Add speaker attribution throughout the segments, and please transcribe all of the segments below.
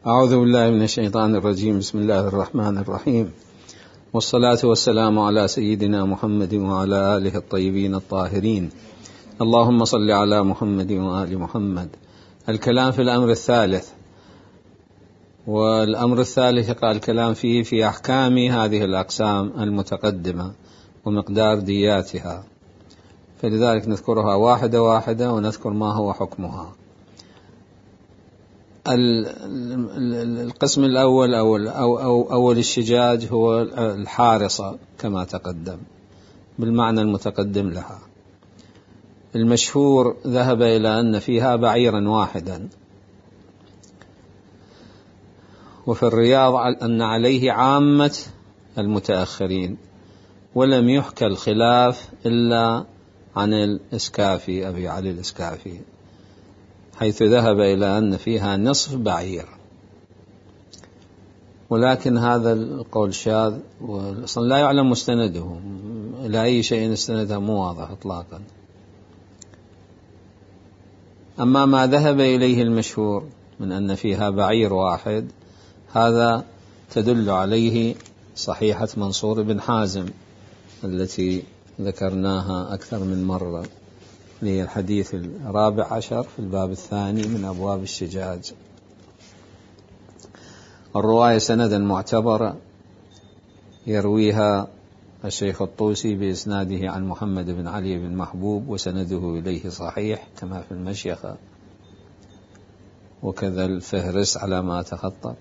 Speaker 1: أعوذ بالله من الشيطان الرجيم. بسم الله الرحمن الرحيم، والصلاة والسلام على سيدنا محمد وعلى آله الطيبين الطاهرين. اللهم صل على محمد وآل محمد. الكلام في الأمر الثالث، والأمر الثالث قال الكلام فيه في أحكام هذه الأقسام المتقدمة ومقدار دياتها، فلذلك نذكرها واحدة واحدة ونذكر ما هو حكمها. القسم الأول أو الشجاج هو الحارصة كما تقدم بالمعنى المتقدم لها. المشهور ذهب إلى أن فيها بعيرا واحدا، وفي الرياض أن عليه عامة المتأخرين، ولم يحكى الخلاف إلا عن الإسكافي أبي علي الإسكافي، حيث ذهب إلى أن فيها نصف بعير، ولكن هذا القول شاذ وأصلا لا يعلم مستنده إلى أي شيء استنده، مو واضح إطلاقا. أما ما ذهب إليه المشهور من أن فيها بعير واحد، هذا تدل عليه صحيحة منصور بن حازم التي ذكرناها أكثر من مرة، هي الحديث 14 في الباب الثاني من أبواب الشجاج. الرواية سندا معتبرة يرويها الشيخ الطوسي بإسناده عن محمد بن علي بن محبوب، وسنده إليه صحيح كما في المشيخة، وكذا الفهرس على ما تخطى.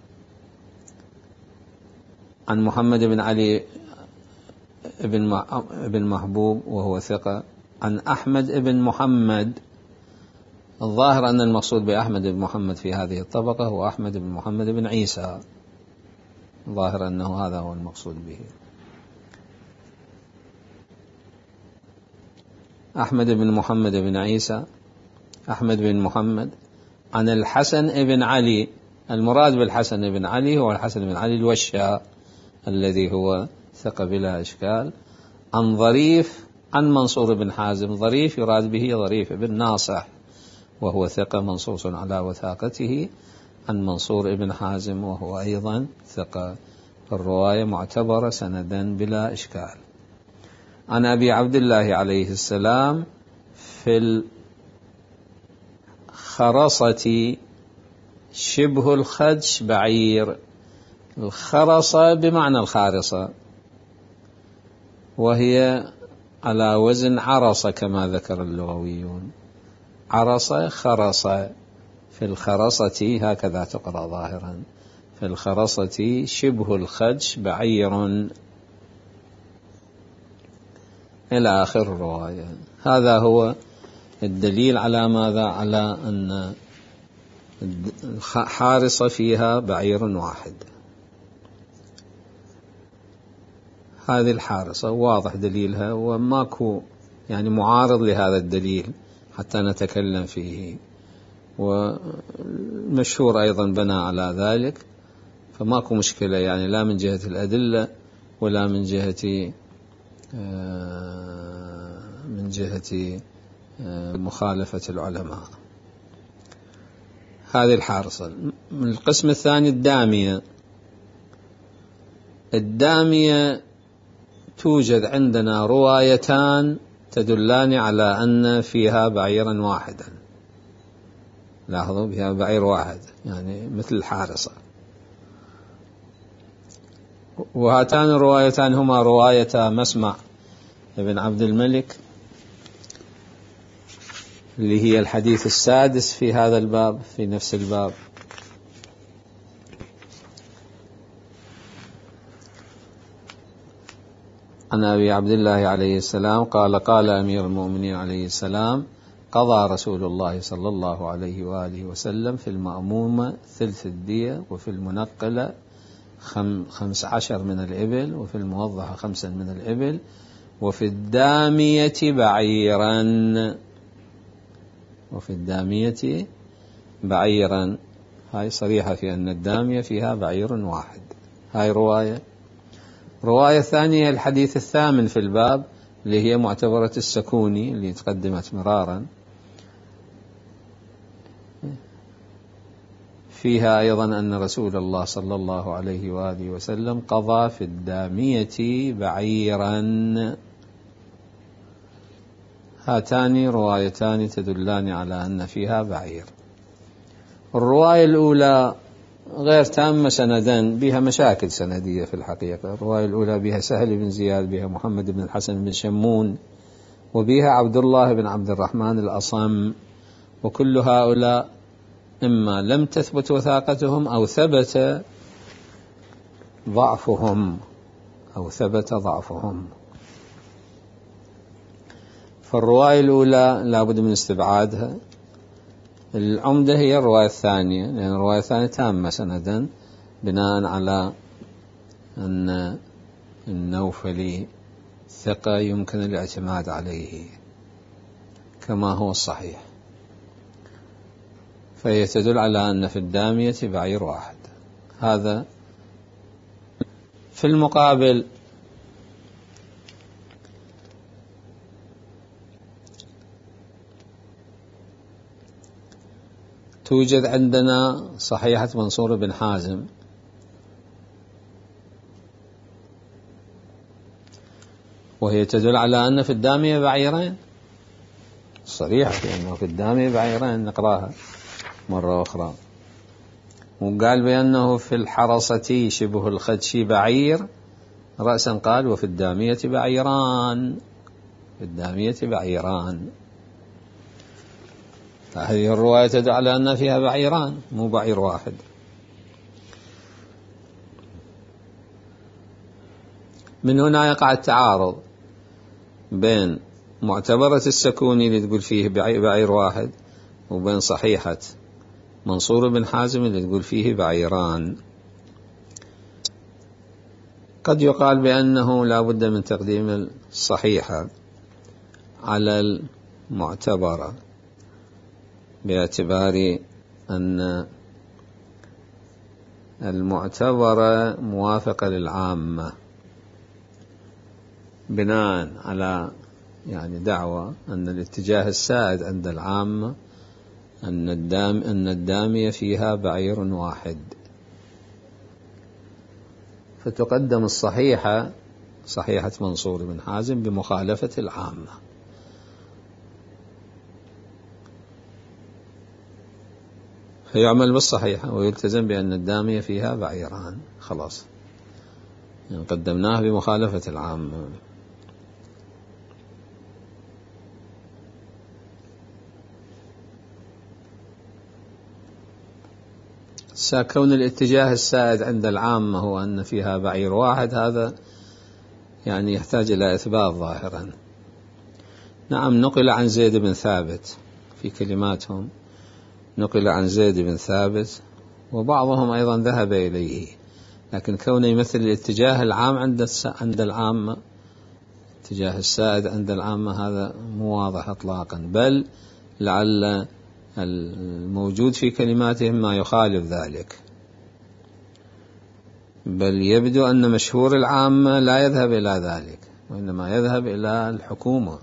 Speaker 1: عن محمد بن علي بن محبوب وهو ثقة، عن أحمد بن محمد. الظاهر أن المقصود بأحمد بن محمد في هذه الطبقة هو أحمد بن محمد بن عيسى، الظاهر أنه هذا هو المقصود به. أحمد بن محمد بن عيسى، أحمد بن محمد. عن الحسن بن علي، المراد بالحسن بن علي هو الحسن بن علي الوشاء الذي هو ثقة بلا إشكال. عن ظريف عن منصور بن حازم، ظريف يراد به ظريف بن ناصح وهو ثقة منصوص على وثاقته، عن منصور بن حازم وهو أيضا ثقة، الرواية معتبرة سندا بلا إشكال. عن أبي عبد الله عليه السلام في الخرصة شبه الخدش بعير. الخرصة بمعنى الخارصة، وهي على وزن عرصة كما ذكر اللغويون، عرصة خرصة. في الخرصة هكذا تقرأ ظاهرا، في الخرصة شبه الخدش بعير إلى آخر الرواية. هذا هو الدليل على ماذا؟ على أن حارصة فيها بعير واحد. هذه الحارصة واضح دليلها، وماكو يعني معارض لهذا الدليل حتى نتكلم فيه، والمشهور أيضا بنى على ذلك، فماكو مشكلة يعني، لا من جهة الأدلة ولا من جهة مخالفة العلماء. هذه الحارصة. من القسم الثاني الدامية. الدامية توجد عندنا روايتان تدلان على أن فيها بعيرا واحدا، لاحظوا فيها بعير واحد يعني مثل الحارصة. وهاتان الروايتان هما رواية مسمع ابن عبد الملك اللي هي الحديث السادس في هذا الباب، في نفس الباب. عن أبي عبد الله عليه السلام قال: قال أمير المؤمنين عليه السلام: قضى رسول الله صلى الله عليه وآله وسلم في المأمومة ثلث الدية، وفي المنقلة 15 من الإبل، وفي الموضحة 5 من الإبل، وفي الدامية بعيرا. وفي الدامية بعيرا، هاي صريحة في أن الدامية فيها بعير واحد. هاي رواية ثانية الحديث الثامن في الباب اللي هي معتبرة السكوني اللي تقدمت مرارا، فيها أيضا أن رسول الله صلى الله عليه وآله وسلم قضى في الدامية بعيرا. هاتان روايتان تدلان على أن فيها بعير. الرواية الأولى غير تامة سندا، بها مشاكل سندية في الحقيقة. الرواية الأولى بها سهل بن زياد، بها محمد بن الحسن بن شمون، وبها عبد الله بن عبد الرحمن الأصم، وكل هؤلاء إما لم تثبت وثاقتهم أو ثبت ضعفهم. فالرواية الأولى لابد من استبعادها. العمدة هي الرواية الثانية، لأن الرواية الثانية تامة سندا بناء على أن النوفلي ثقة يمكن الاعتماد عليه كما هو الصحيح، فهي تدل على أن في الدامية بعير واحد. هذا في المقابل توجد عندنا صحيحة منصور بن حازم، وهي تدل على أن في الدامية بعيرين، صريحة في أنه في الدامية بعيرين. نقراها مرة أخرى. وقال بأنه في الحرصة شبه الخدش بعير رأسا، قال وفي الدامية بعيران، في الدامية بعيران. هذه الرواية تدل على أن فيها بعيران مو بعير واحد. من هنا يقع التعارض بين معتبرة السكوني اللي تقول فيه بعير واحد، وبين صحيحة منصور بن حازم اللي تقول فيه بعيران. قد يقال بأنه لا بد من تقديم الصحيحة على المعتبرة، باعتبار أن المعتبرة موافقة للعامة، بناء على دعوة أن الاتجاه السائد عند العامة أن الدامية فيها بعير واحد، فتقدم الصحيحة صحيحة منصور بن حازم بمخالفة العامة. فيعمل بالصحيحة ويلتزم بأن الدامية فيها بعيران، خلاص قدمناه بمخالفة العامة. كون الاتجاه السائد عند العامة هو أن فيها بعير واحد، هذا يحتاج إلى إثبات ظاهرا. نعم، نقل عن زيد بن ثابت، في كلماتهم نقل عن زيد بن ثابت، وبعضهم أيضا ذهب إليه، لكن كونه يمثل الاتجاه العام عند العامة، الاتجاه السائد عند العامة، هذا مو واضح إطلاقا، بل لعل الموجود في كلماتهم ما يخالف ذلك، بل يبدو أن مشهور العامة لا يذهب إلى ذلك، وإنما يذهب إلى الحكومة.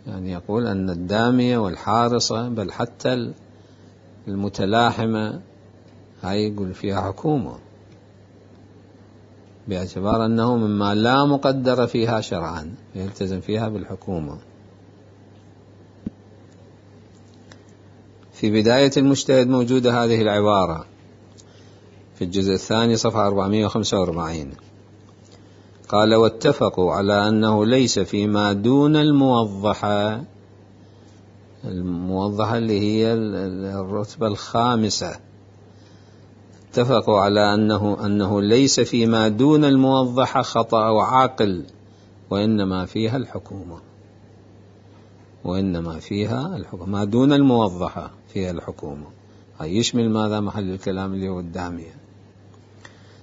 Speaker 1: يقول أن الدامية والحارصة بل حتى المتلاحمة هاي يقول فيها حكومة، باعتبار أنه مما لا مقدر فيها شرعا يلتزم فيها بالحكومة. في بداية المجتهد موجودة هذه العبارة في الجزء الثاني صفحة 445، قال واتفقوا على أنه ليس فيما دون الموضحة اللي هي الرتبة الخامسة، اتفقوا على أنه ليس فيما دون الموضحة خطأ وعاقل، وإنما فيها الحكومة، ما دون الموضحة فيها الحكومة. هاي يشمل ماذا؟ محل الكلام اللي هو الدامية.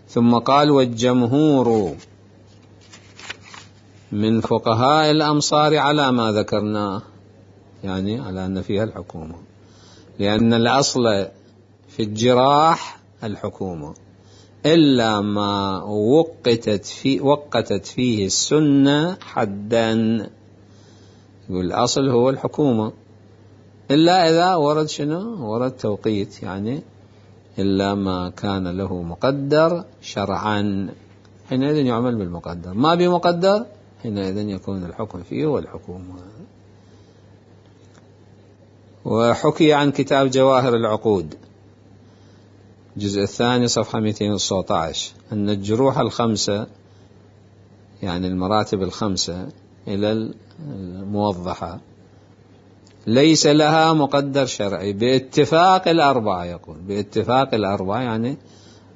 Speaker 1: ثم قال والجمهور من فقهاء الأمصار على ما ذكرناه، على أن فيها الحكومة، لأن الأصل في الجراح الحكومة إلا ما وقتت فيه السنة حدا، يقول الأصل هو الحكومة، إلا إذا ورد ورد توقيت، إلا ما كان له مقدر شرعا، حينئذ يعمل بالمقدر. ما بمقدر حينئذ يكون الحكم فيه والحكومة. وحكي عن كتاب جواهر العقود الجزء الثاني صفحة 219 أن الجروح الخمسة، يعني المراتب الخمسة إلى الموضحة، ليس لها مقدر شرعي باتفاق الأربعة. يقول باتفاق الأربعة، يعني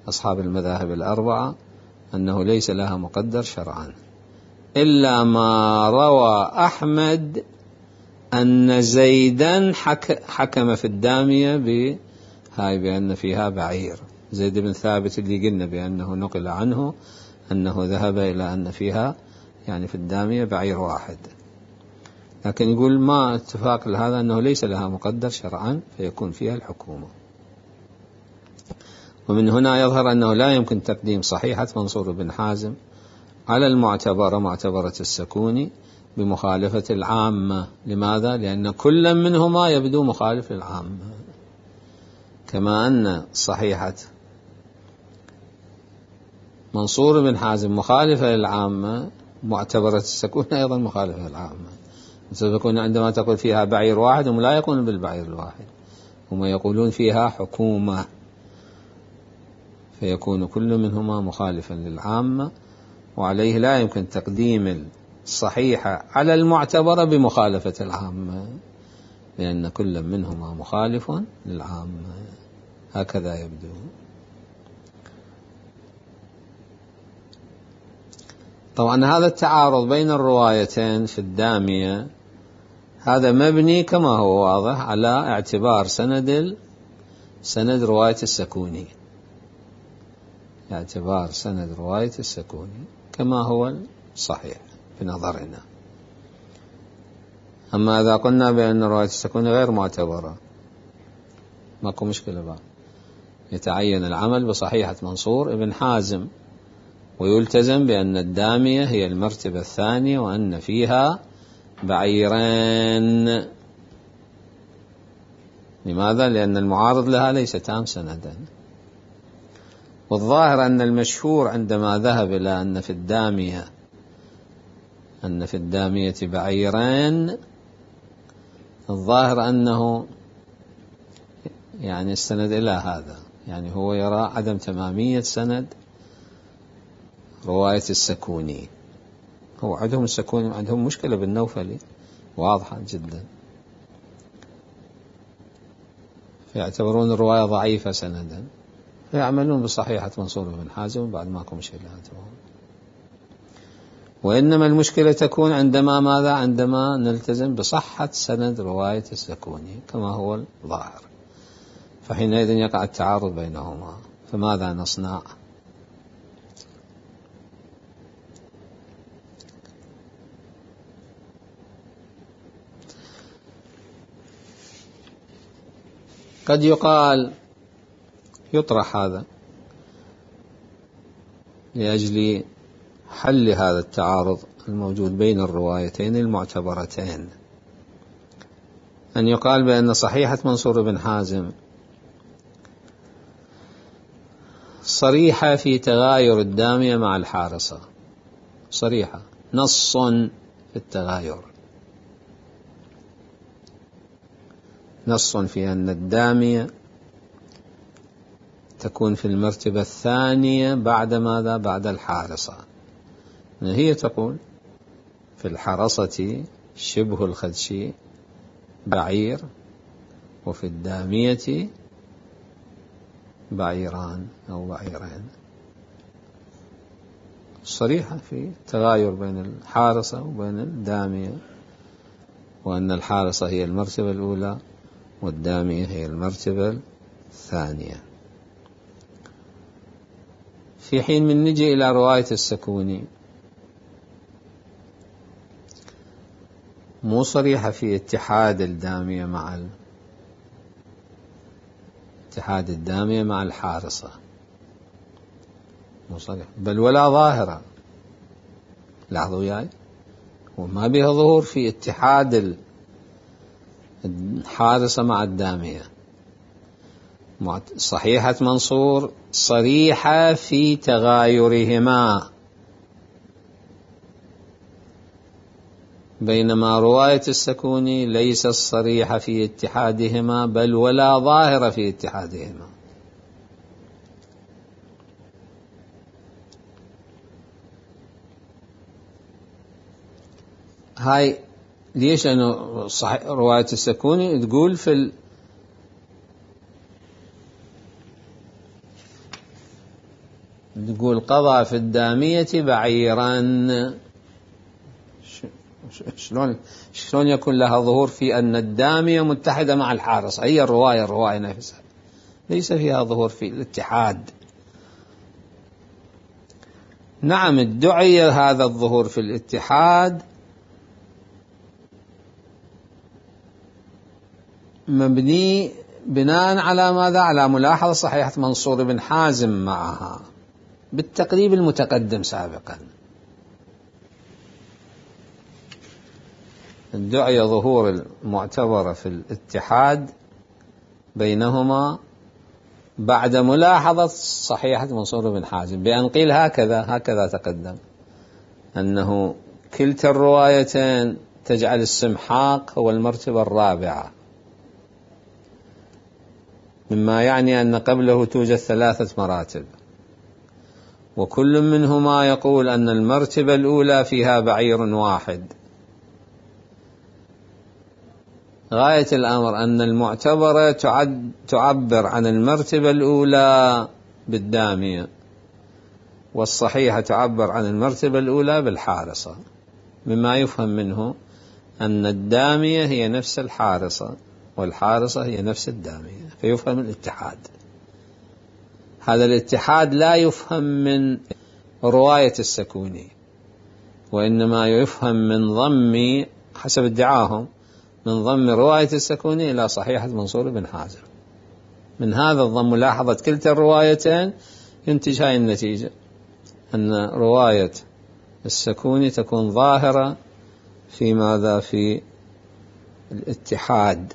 Speaker 1: أصحاب المذاهب الأربعة، أنه ليس لها مقدر شرعا، إلا ما روى أحمد أن زيدا حكم في الدامية بأن فيها بعير. زيد بن ثابت اللي قلنا بأنه نقل عنه أنه ذهب إلى أن فيها يعني في الدامية بعير واحد، لكن يقول ما اتفاق لهذا أنه ليس لها مقدر شرعا فيكون فيها الحكومة. ومن هنا يظهر أنه لا يمكن تقديم صحيحة منصور بن حازم على المعتبرة معتبرة السكوني بمخالفة العامة. لماذا؟ لأن كل منهما يبدو مخالف للعامة، كما أن صحيحة منصور بن حازم مخالفة للعامة، معتبرة السكوني أيضا مخالفة للعامة. السكوني عندما تقول فيها بعير واحد هم لا يقولون بالبعير الواحد، هم يقولون فيها حكومة، فيكون كل منهما مخالفا للعامة، وعليه لا يمكن تقديم الصحيحة على المعتبرة بمخالفة العامة، لأن كل منهما مخالف للعامة. هكذا يبدو. طبعا هذا التعارض بين الروايتين في الدامية هذا مبني كما هو واضح على اعتبار سند رواية السكوني، اعتبار سند رواية السكوني كما هو صحيح في نظرنا. أما إذا قلنا بأن رواية السكوني غير معتبرة ماكو مشكلة بقى، يتعين العمل بصحيحة منصور ابن حازم، ويلتزم بأن الدامية هي المرتبة الثانية وأن فيها بعيرين. لماذا؟ لأن المعارض لها ليس تام سندا. والظاهر أن المشهور عندما ذهب إلى أن في الدامية بعيرين، الظاهر أنه يعني استند إلى هذا، يعني هو يرى عدم تمامية سند رواية السكوني. هو عندهم السكوني عندهم مشكلة بالنوفلي واضحة جدا، فيعتبرون الرواية ضعيفة سندا، فيعملون بصحيحة منصور بن حازم بعد ماكو مشكلة عندهم. وإنما المشكلة تكون عندما نلتزم بصحة سند رواية السكوني كما هو الظاهر، فحينئذ يقع التعارض بينهما. فماذا نصنع؟ قد يطرح هذا لأجل حل هذا التعارض الموجود بين الروايتين المعتبرتين، أن يقال بأن صحيحة منصور بن حازم صريحة في تغاير الدامية مع الحارصة، صريحة نص في التغاير، نص في أن الدامية تكون في المرتبة الثانية بعد ماذا؟ بعد الحارصة. هي تقول في الحرصة شبه الخدشي بعير، وفي الدامية بعيران أو بعيرين، صريحة في تغاير بين الحارصة وبين الدامية، وأن الحارصة هي المرتبة الأولى والدامية هي المرتبة الثانية. في حين من نجي إلى رواية السكوني مو صريحة في اتحاد الدامية مع الحارصة، مو صريح، بل ولا ظاهرة. لاحظوا وياي، وما بها ظهور في اتحاد الحارصة مع الدامية، صحيحة منصور صريحة في تغايرهما، بينما رواية السكوني ليست صريحة في اتحادهما بل ولا ظاهرة في اتحادهما. هاي ليش؟ لأنه رواية السكوني تقول تقول قضى في الدامية بعيرا. شلون يكون لها ظهور في أن الدامية متحدة مع الحارصة؟ هي الرواية نفسها ليس فيها ظهور في الاتحاد. نعم ادعي هذا الظهور في الاتحاد مبني بناء على ماذا؟ على ملاحظة صحيحة منصور بن حازم معها بالتقريب المتقدم سابقا. ادعي ظهور المعتبرة في الاتحاد بينهما بعد ملاحظة صحيحة منصور بن حازم بأن قيل هكذا تقدم أنه كلتا الروايتين تجعل السمحاق هو المرتبة الرابعة، مما يعني أن قبله توجد 3 مراتب، وكل منهما يقول أن المرتبة الأولى فيها بعير واحد. غاية الأمر أن المعتبرة تعبر عن المرتبة الأولى بالدامية، والصحيحة تعبر عن المرتبة الأولى بالحارصة، مما يفهم منه أن الدامية هي نفس الحارصة والحارصة هي نفس الدامية، فيفهم الاتحاد. هذا الاتحاد لا يفهم من رواية السكوني، وإنما يفهم من ضم، حسب ادعاهم، من ضم رواية السكوني إلى صحيحة منصور بن حازم. من هذا الضم ملاحظة كلتا الروايتين ينتج هاي النتيجة، أن رواية السكوني تكون ظاهرة في ماذا؟ في الاتحاد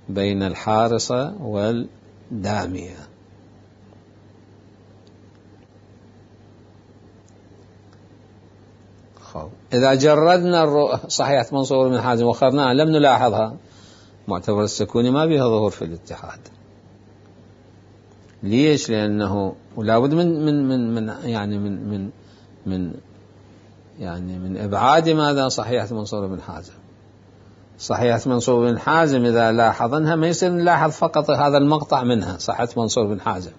Speaker 1: بين الحارصة والدامية. إذا جردنا صحيحة منصور بن حازم وخرناها لم نلاحظها، معتبر السكوني ما بها ظهور في الاتحاد. ليش؟ لأنه ولا بد من إبعاد ماذا؟ صحيحة منصور بن حازم. صحيحة منصور بن حازم إذا لاحظنها ما يصير نلاحظ فقط هذا المقطع منها صحيحة منصور بن حازم،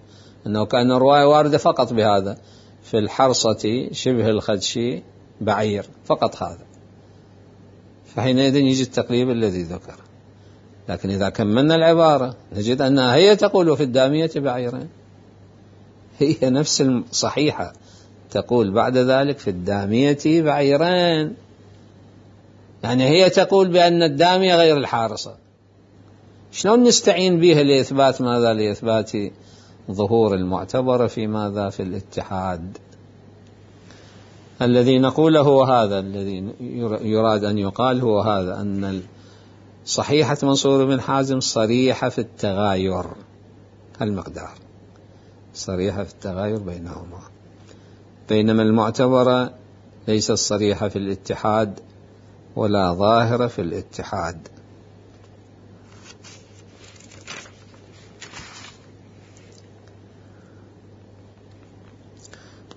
Speaker 1: أنه كأن الرواية واردة فقط بهذا، في الحرصة شبه الخدشي بعير، فقط هذا، فحينئذ يجي التقريب الذي ذكر. لكن إذا كملنا العبارة نجد أنها هي تقول في الدامية بعيرين، هي نفس الصحيحة تقول بعد ذلك في الدامية بعيرين، يعني هي تقول بأن الدامية غير الحارصة. شلون نستعين بها لإثبات ماذا؟ لإثبات ظهور المعتبرة في ماذا؟ في الاتحاد. الذي نقوله هو هذا، الذي يراد أن يقال هو هذا، أن صحيحة منصور بن حازم صريحة في التغاير، المقدار صريحة في التغاير بينهما، بينما المعتبرة ليست صريحة في الاتحاد ولا ظاهرة في الاتحاد.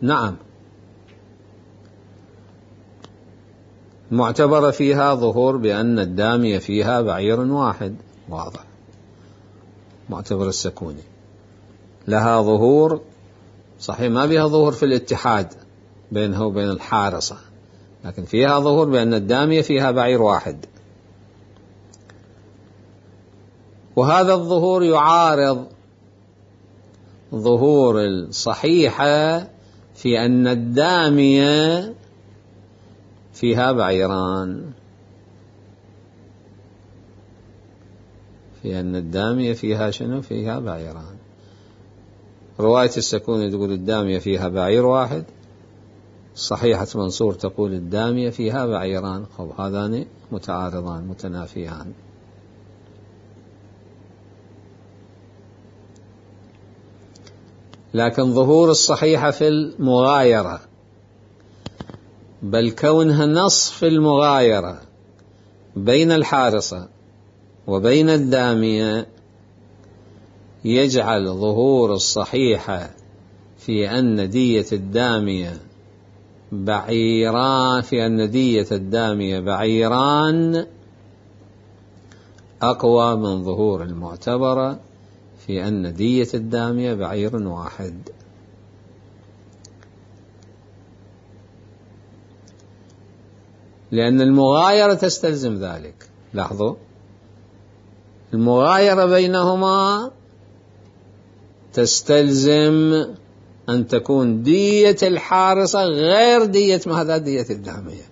Speaker 1: نعم معتبرة فيها ظهور بأن الدامية فيها بعير واحد، واضح. معتبر السكوني لها ظهور صحيح ما بها ظهور في الاتحاد بينها وبين الحارصة، لكن فيها ظهور بأن الدامية فيها بعير واحد، وهذا الظهور يعارض ظهور الصحيحة في أن الدامية فيها بعيران، في أن الدامية فيها شنو؟ فيها بعيران. رواية السكوني تقول الدامية فيها بعير واحد، صحيحة منصور تقول الدامية فيها بعيران. هذان متعارضان متنافيان. لكن ظهور الصحيحة في المغايرة، بل كونها نصف المغايرة بين الحارصة وبين الدامية يجعل ظهور الصحيحة في أن دية الدامية بعيران أقوى من ظهور المعتبرة في أن دية الدامية بعير واحد. لأن المغايرة تستلزم ذلك. لاحظوا، المغايرة بينهما تستلزم أن تكون دية الحارصة غير دية دية الدامية،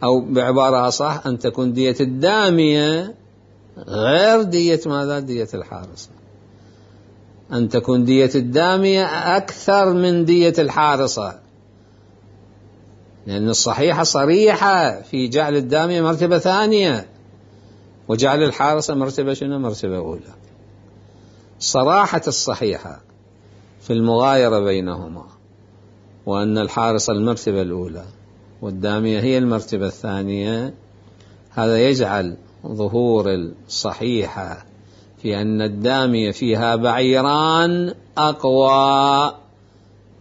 Speaker 1: أو بعبارة أصح أن تكون دية الدامية غير دية دية الحارصة، أن تكون دية الدامية أكثر من دية الحارصة، لأن الصحيحة صريحة في جعل الدامية مرتبة ثانية وجعل الحارصة مرتبة أولى. صراحة الصحيحة في المغايرة بينهما وأن الحارصة المرتبة الأولى والدامية هي المرتبة الثانية، هذا يجعل ظهور الصحيحة في أن الدامية فيها بعيران أقوى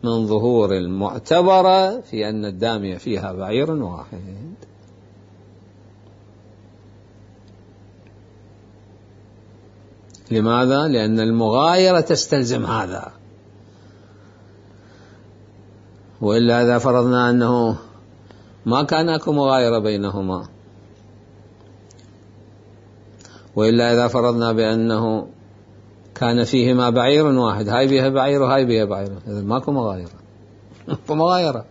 Speaker 1: من ظهور المعتبرة في أن الدامية فيها بعير واحد. لماذا؟ لأن المغايرة تستلزم هذا، وإلا إذا فرضنا أنه ما كان أكو مغايرة بينهما، وإلا إذا فرضنا بأنه كان فيهما بعير واحد، هاي بها بعير وهاي بها بعير، إذا ماكو مغايرة.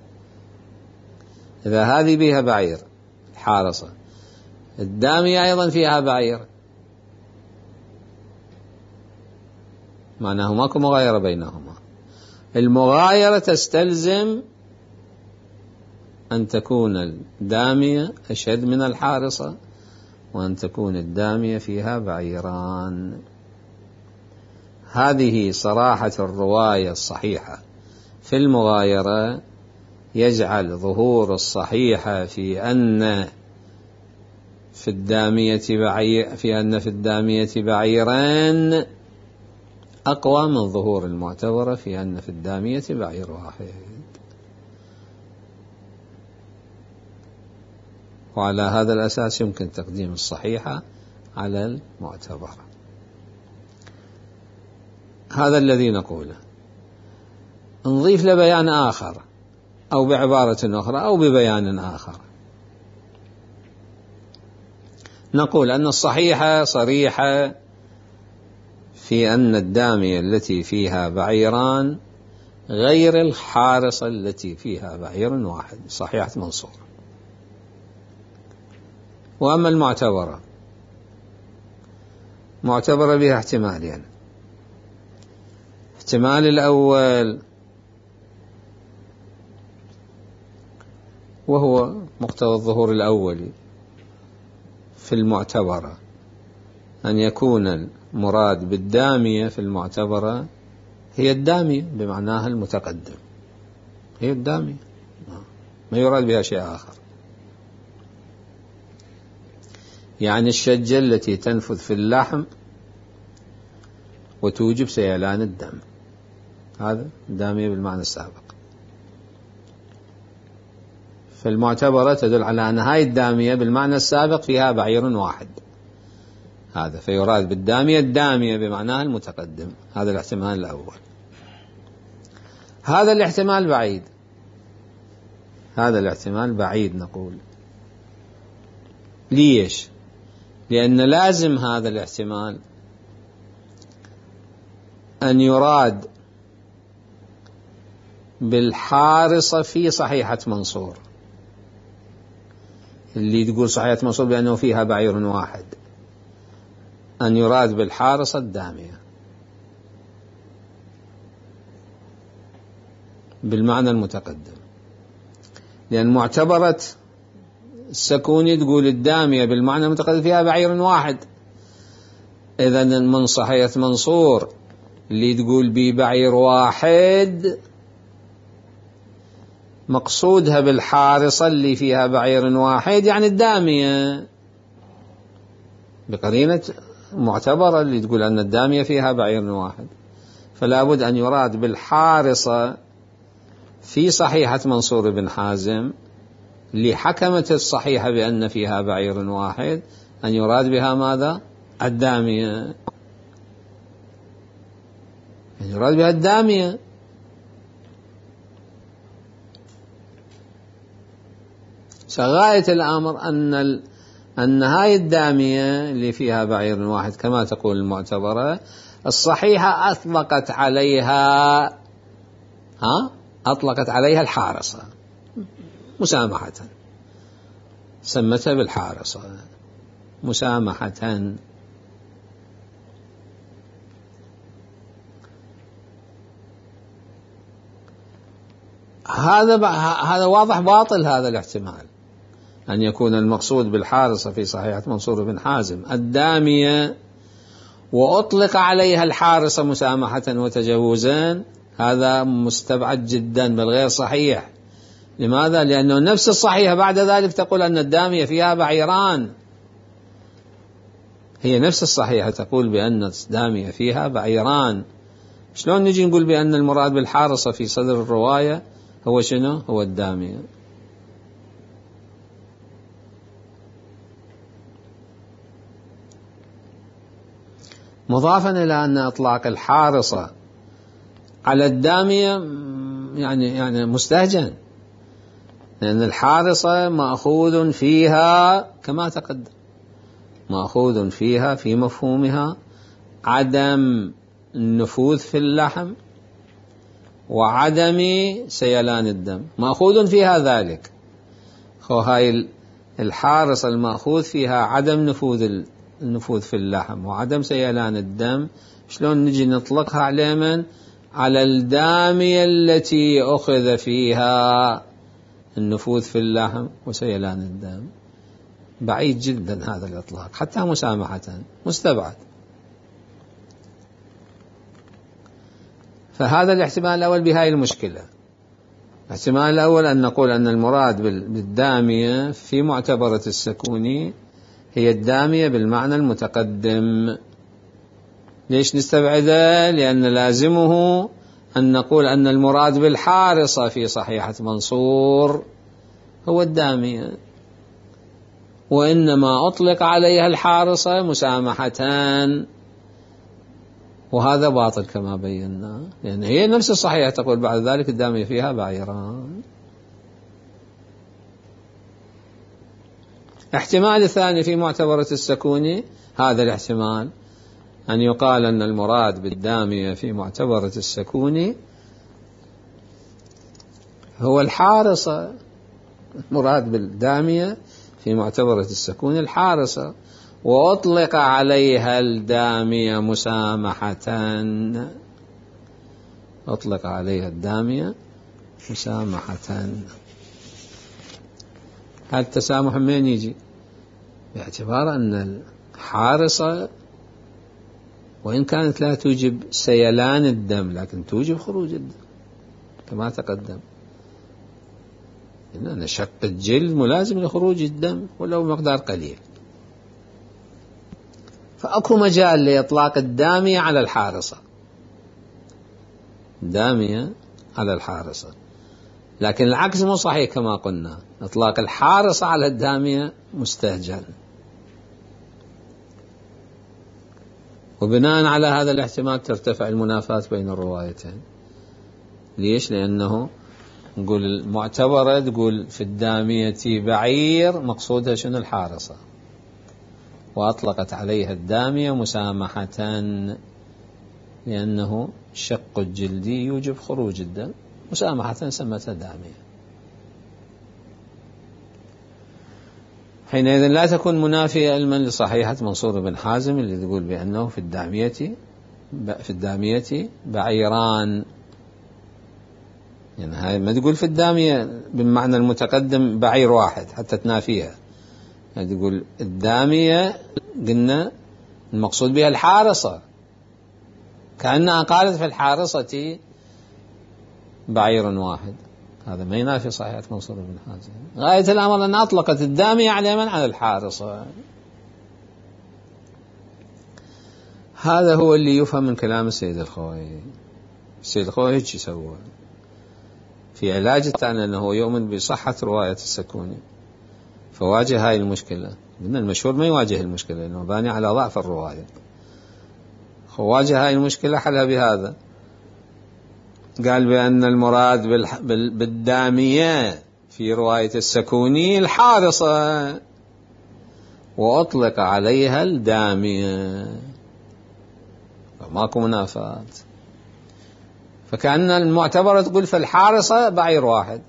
Speaker 1: إذا هذه بها بعير الحارصة، الدامية أيضا فيها بعير، معناه ماكو مغايرة بينهما. المغايرة تستلزم أن تكون الدامية أشد من الحارصة وأن تكون الدامية فيها بعيران. هذه صراحة الرواية الصحيحة في المغايرة يجعل ظهور الصحيحة في أن في الدامية بعيرين أقوى من ظهور المعتبرة في أن في الدامية بعير واحد. وعلى هذا الأساس يمكن تقديم الصحيحة على المعتبرة. هذا الذي نقوله. نضيف لبيان آخر أو بعبارة أخرى أو ببيان آخر، نقول أن الصحيحة صريحة في أن الدامية التي فيها بعيران غير الحارصة التي فيها بعير واحد، صحيحة منصور. وأما المعتبرة، معتبرة بها احتمالين. احتمال الأول وهو مقتضى الظهور الأولي في المعتبرة، أن يكون المراد بالدامية في المعتبرة هي الدامية بمعناها المتقدم، هي الدامية، ما يراد بها شيء آخر. يعني الشجة التي تنفذ في اللحم وتوجب سيلان الدم، هذا الدامية بالمعنى السابق. فالمعتبرة تدل على أن هاي الدامية بالمعنى السابق فيها بعير واحد، هذا فيراد بالدامية الدامية بمعناها المتقدم. هذا الاحتمال الأول. هذا الاحتمال بعيد، هذا الاحتمال بعيد نقول. ليش؟ لأن لازم هذا الاحتمال أن يراد بالحارصة في صحيحة منصور، اللي تقول صحيحة منصور بأنه فيها بعير واحد، أن يراد بالحارصة الدامية بالمعنى المتقدم. لأن معتبرة السكوني تقول الدامية بالمعنى المتقدم فيها بعير واحد، إذن من صحيحة منصور اللي تقول بي بعير واحد مقصودها بالحارصة اللي فيها بعير واحد يعني الدامية، بقرينة معتبرة اللي تقول أن الدامية فيها بعير واحد، فلا بد أن يراد بالحارصة في صحيحة منصور بن حازم اللي حكمت الصحيحة بأن فيها بعير واحد أن يراد بها ماذا؟ الدامية، أن يراد بها الدامية. غاية الأمر أن هاي الدامية اللي فيها بعير واحد كما تقول المعتبرة الصحيحة أطلقت عليها الحارصة مسامحة، سمتها بالحارصة مسامحة. هذا واضح باطل هذا الاحتمال أن يكون المقصود بالحارصة في صحيحة منصور بن حازم الدامية وأطلق عليها الحارصة مسامحة وتجاوزا، هذا مستبعد جدا بل غير صحيح. لماذا؟ لأنه نفس الصحيحة بعد ذلك تقول أن الدامية فيها بعيران، هي نفس الصحيحة تقول بأن الدامية فيها بعيران، شلون نجي نقول بأن المراد بالحارصة في صدر الرواية هو شنو؟ هو الدامية. مضافا إلى أن إطلاق الحارصة على الدامية يعني مستهجن، لأن الحارصة مأخوذ فيها كما تقدم، مأخوذ فيها في مفهومها عدم النفوذ في اللحم وعدم سيلان الدم، مأخوذ فيها ذلك. هاي الحارصة المأخوذ فيها عدم النفوذ في اللحم وعدم سيلان الدم، شلون نجي نطلقها على من؟ على الدامية التي أخذ فيها النفوذ في اللحم وسيلان الدم؟ بعيد جدا هذا الإطلاق، حتى مسامحة مستبعد. فهذا الاحتمال الأول بهاي المشكلة. الاحتمال الأول أن نقول أن المراد بالدامية في معتبرة السكوني هي الدامية بالمعنى المتقدم. ليش نستبعده؟ لأن لازمه أن نقول أن المراد بالحارصة في صحيحة منصور هو الدامية، وإنما أطلق عليها الحارصة مسامحة، وهذا باطل كما بينا، لأن هي نفس الصحيحة تقول بعد ذلك الدامية فيها بعيران. احتمال الثاني في معتبرة السكوني هذا الاحتمال أن يقال أن المراد بالدامية في معتبرة السكوني هو الحارصة، مراد بالدامية في معتبرة السكوني الحارصة، وأطلق عليها الدامية مسامحة، أطلق عليها الدامية مسامحة. هذا التسامح من يجي؟ باعتبار أن الحارصة وإن كانت لا توجب سيلان الدم لكن توجب خروج الدم كما تقدم، إن شق الجلد ملازم لخروج الدم ولو مقدار قليل، فأكو مجال لإطلاق الدامية على الحارصة، الدامية على الحارصة، لكن العكس مو صحيح كما قلنا، إطلاق الحارصة على الدامية مستهجن. وبناء على هذا الاحتمال ترتفع المنافاة بين الروايتين. ليش؟ لأنه نقول المعتبرة تقول في الدامية بعير مقصودها شنو؟ الحارصة، وأطلقت عليها الدامية مسامحة لأنه شق الجلدي يوجب خروج الدم، مسامحة سمتها دامية. حينئذ لا تكون منافية علما لصحيحة منصور بن حازم اللي تقول بأنه في الدامية بعيران، يعني هاي ما تقول في الدامية بالمعنى المتقدم بعير واحد حتى تنافيها، يعني تقول الدامية قلنا المقصود بها الحارصة، كأنها قالت في الحارصة بعير واحد، هذا ما ينافي صحيحة منصور بن حازم. غاية الأمر أن أطلقت الدامية على من؟ على الحارصة. هذا هو اللي يفهم من كلام السيد الخوئي. السيد الخوئي هيك يسوى في علاج التعنى، أنه يؤمن بصحة رواية السكوني، فواجه هاي المشكلة. من المشهور ما يواجه المشكلة لأنه باني على ضعف الرواية، فواجه هاي المشكلة حلها بهذا. قال بأن المراد بالدامية في رواية السكوني الحارصة، وأطلق عليها الدامية، فماكو منافاة. فكأن المعتبرة تقول في الحارصة بعير واحد،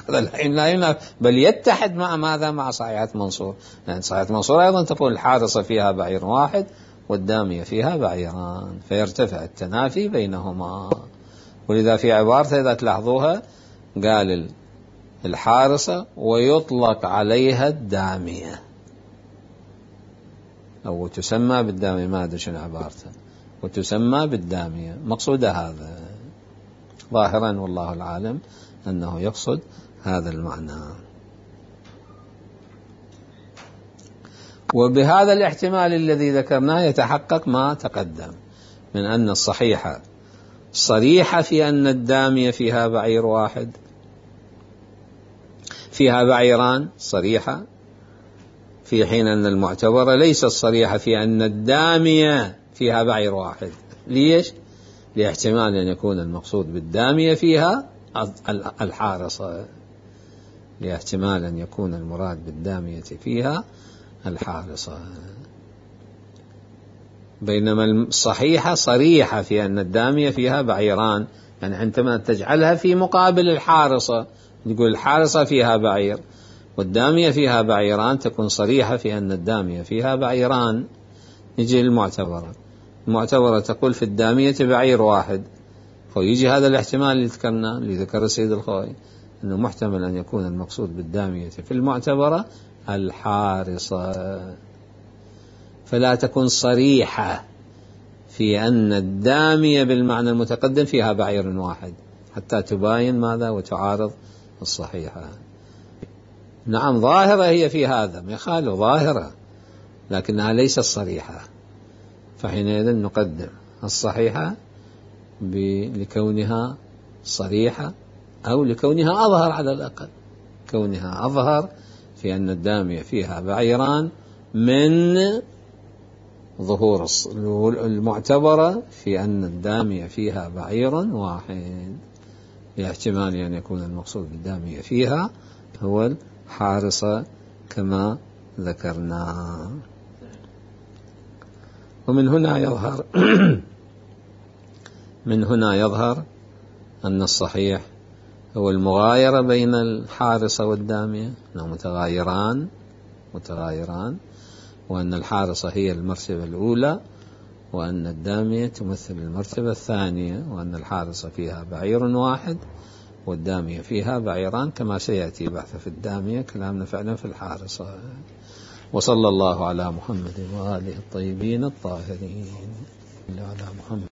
Speaker 1: هذا لا ينافي، بل يتحد مع ماذا؟ مع صحيحة منصور، لأن صحيحة منصور أيضا تقول الحارصة فيها بعير واحد والدامية فيها بعيران، فيرتفع التنافي بينهما. ولذا في عبارته إذا تلاحظوها قال الحارصة ويطلق عليها الدامية، أو تسمى بالدامية، ما أدري شنو عبارته، وتسمى بالدامية، مقصود هذا ظاهرا والله العالم أنه يقصد هذا المعنى. وبهذا الاحتمال الذي ذكرناه يتحقق ما تقدم من أن الصحيحة صريحة في أن الدامية فيها بعير واحد، فيها بعيران صريحة، في حين أن المعتبرة ليست صريحة في أن الدامية فيها بعير واحد. ليش؟ لاحتمال أن يكون المقصود بالدامية فيها الحارصة، لاحتمال أن يكون المراد بالدامية فيها الحارصة، بينما الصحيحة صريحة في أن الدامية فيها بعيران. يعني عندما تجعلها في مقابل الحارصة، نقول الحارصة فيها بعير والدامية فيها بعيران، تكون صريحة في أن الدامية فيها بعيران. يجي المعتبرة تقول في الدامية بعير واحد، فيجي هذا الاحتمال اللي ذكرناه، اللي ذكر السيد الخوئي، أنه محتمل أن يكون المقصود بالدامية في المعتبرة الحارصة، فلا تكون صريحة في أن الدامية بالمعنى المتقدم فيها بعير واحد، حتى تباين ماذا وتعارض الصحيحة. نعم ظاهرة هي في هذا، ما يخالف ظاهرة، لكنها ليست صريحة، فحينئذ نقدم الصحيحة لكونها صريحة، أو لكونها أظهر، على الأقل كونها أظهر في أن الدامية فيها بعيران من ظهور المعتبرة في أن الدامية فيها بعير واحد، لاحتمال أن يكون المقصود بالدامية فيها هو الحارصة كما ذكرنا. ومن هنا يظهر أن الصحيح هو المغايرة بين الحارصة والدامية، أنهم متغايران، وأن الحارصة هي المرتبة الأولى، وأن الدامية تمثل المرتبة الثانية، وأن الحارصة فيها بعير واحد والدامية فيها بعيران، كما سيأتي بحث في الدامية، كلامنا فعلا في الحارصة. وصلى الله على محمد وآله الطيبين الطاهرين. على محمد.